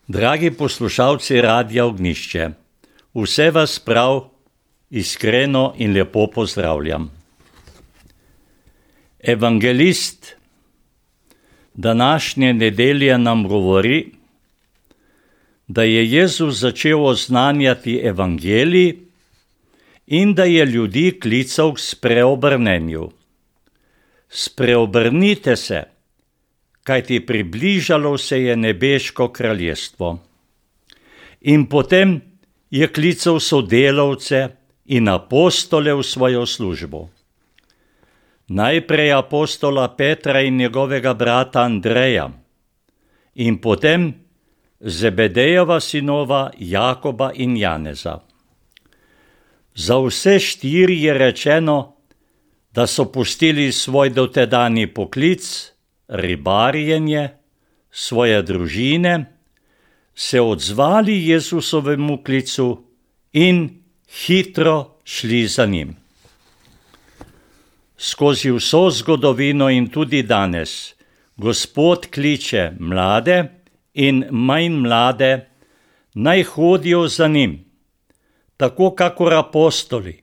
Dragi poslušalci Radia Ognjišče, vse vas prav iskreno in lepo pozdravljam. Evangelist današnje nedelje nam govori, da je Jezus začel oznanjati evangelij in da je ljudi klical k spreobrnenju. Spreobrnite se, kajti približalo se je nebeško kraljestvo. In potem je klical sodelavce in apostole v svojo službo. Najprej apostola Petra in njegovega brata Andreja in potem Zebedejeva sinova Jakoba in Janeza. Za vse štiri je rečeno, da so pustili svoj dotedajni poklic, ribarjenje, svoje družine, se odzvali Jezusovemu klicu in hitro šli za njim. Skozi vso zgodovino in tudi danes Gospod kliče mlade in manj mlade, naj hodijo za njim, tako kakor apostoli,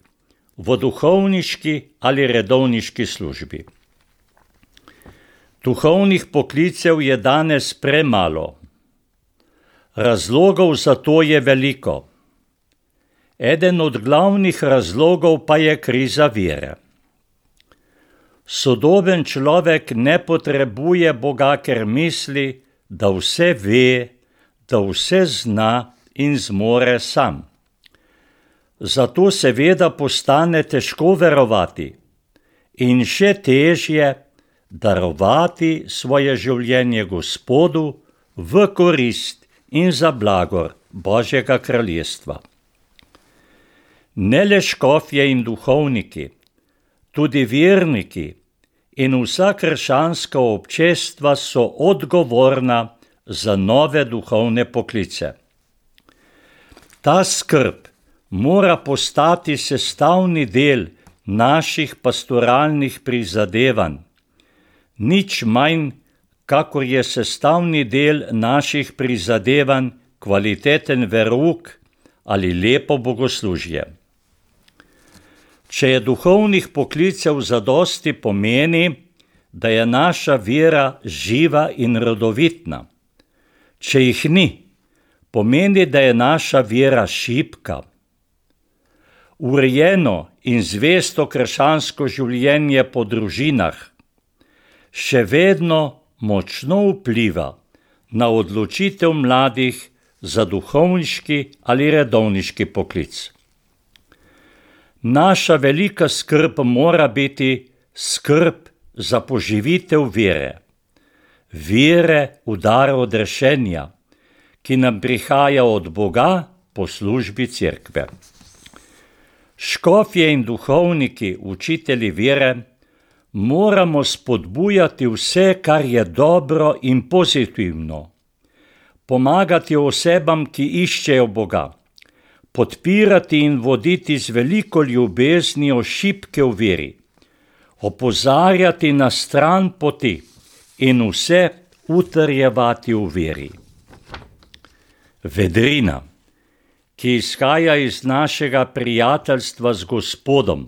v duhovniški ali redovniški službi. Duhovnih poklicev je danes premalo. Razlogov za to je veliko. Eden od glavnih razlogov pa je kriza vere. Sodoben človek ne potrebuje Boga, ker misli, da vse ve, da vse zna in zmore sam. Zato seveda postane težko verovati in še težje darovati svoje življenje Gospodu v korist in za blagor Božjega kraljestva. Ne le škofje in duhovniki, tudi verniki in vsa krščanska občestva so odgovorna za nove duhovne poklice. Ta skrb mora postati sestavni del naših pastoralnih prizadevanj, nič manj, kakor je sestavni del naših prizadevanj kvaliteten verouk ali lepo bogoslužje. Če je duhovnih poklicev zadosti, pomeni, da je naša vera živa in rodovitna. Če jih ni, pomeni, da je naša vera šibka. Urejeno in zvesto krščansko življenje po družinah še vedno močno vpliva na odločitev mladih za duhovniški ali redovniški poklic. Naša velika skrb mora biti skrb za poživitev vere. Vere v dar odrešenja, ki nam prihaja od Boga po službi cerkve. Škofje in duhovniki, učitelji vere, moramo spodbujati vse, kar je dobro in pozitivno, pomagati osebam, ki iščejo Boga, podpirati in voditi z veliko ljubeznijo šibke v veri, opozarjati na stran poti in vse utrjevati v veri. Vedrina, ki izhaja iz našega prijateljstva z Gospodom,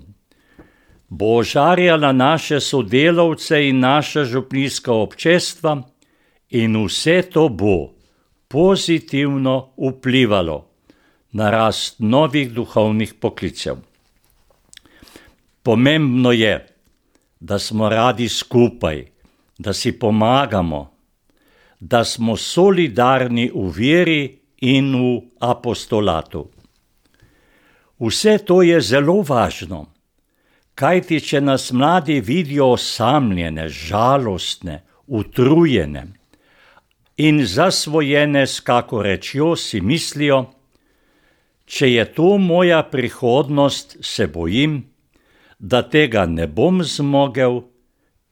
bo ožarjala naše sodelavce in naša župnijska občestva in vse to bo pozitivno vplivalo na rast novih duhovnih poklicev. Pomembno je, da smo radi skupaj, da si pomagamo, da smo solidarni v veri in v apostolatu. Vse to je zelo važno, kajti če nas mladi vidijo osamljene, žalostne, utrujene in zasvojene s kako rečjo, si mislijo, če je to moja prihodnost, se bojim, da tega ne bom zmogel,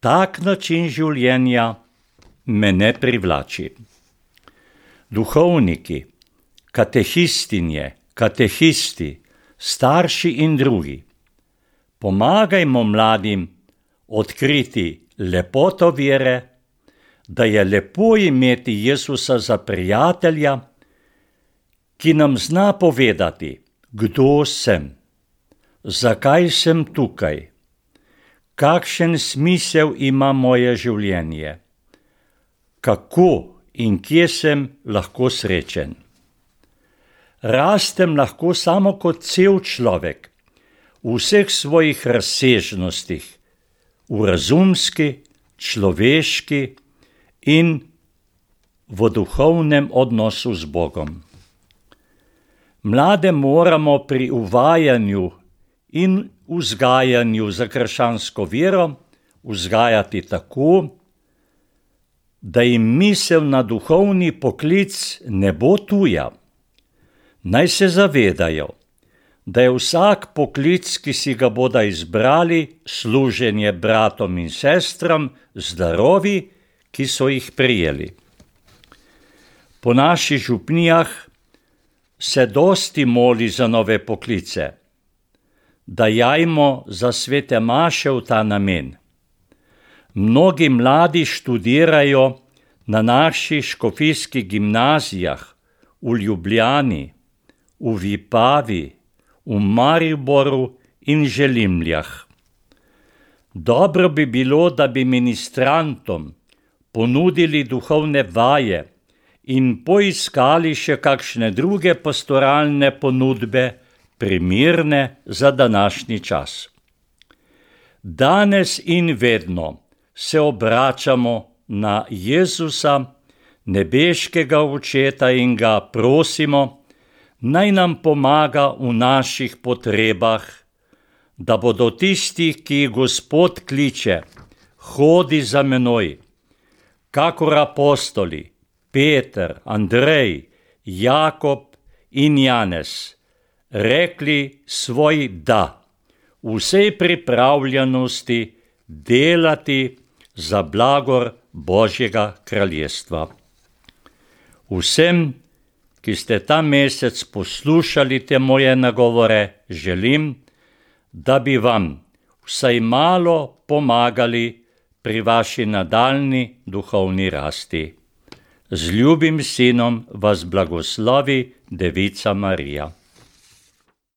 tak način življenja me ne privlači. Duhovniki, katehistinje, katehisti, starši in drugi, pomagajmo mladim odkriti lepoto vere, da je lepo imeti Jezusa za prijatelja ki nam zna povedati, kdo sem, zakaj sem tukaj, kakšen smisel ima moje življenje, kako in kje sem lahko srečen. Rastem lahko samo kot cel človek, v vseh svojih razsežnostih, v razumski, človeški in v duhovnem odnosu z Bogom. Mlade moramo pri uvajanju in vzgajanju za krščansko vero vzgajati tako, da jim misel na duhovni poklic ne bo tuja. Naj se zavedajo, da je vsak poklic, ki si ga bodo izbrali, služenje bratom in sestram z darovi, ki so jih prejeli. Po naših župnijah se dosti moli za nove poklice, da jajmo za svete maše v ta namen. Mnogi mladi študirajo na naših škofijskih gimnazijah v Ljubljani, v Vipavi, v Mariboru in Želimljah. Dobro bi bilo, da bi ministrantom ponudili duhovne vaje in poiskali še kakšne druge pastoralne ponudbe, primirne za današnji čas. Danes in vedno se obračamo na Jezusa, nebeškega Očeta, in ga prosimo, naj nam pomaga v naših potrebah, da bodo tisti, ki jih Gospod kliče, hodi za menoj, kakor apostoli Peter, Andrej, Jakob in Janez, rekli svoj da, vsej pripravljenosti delati za blagor Božjega kraljestva. Vsem, ki ste ta mesec poslušali te moje nagovore, želim, da bi vam vsaj malo pomagali pri vaši nadaljnji duhovni rasti. Z ljubim sinom vas blagoslovi Devica Marija.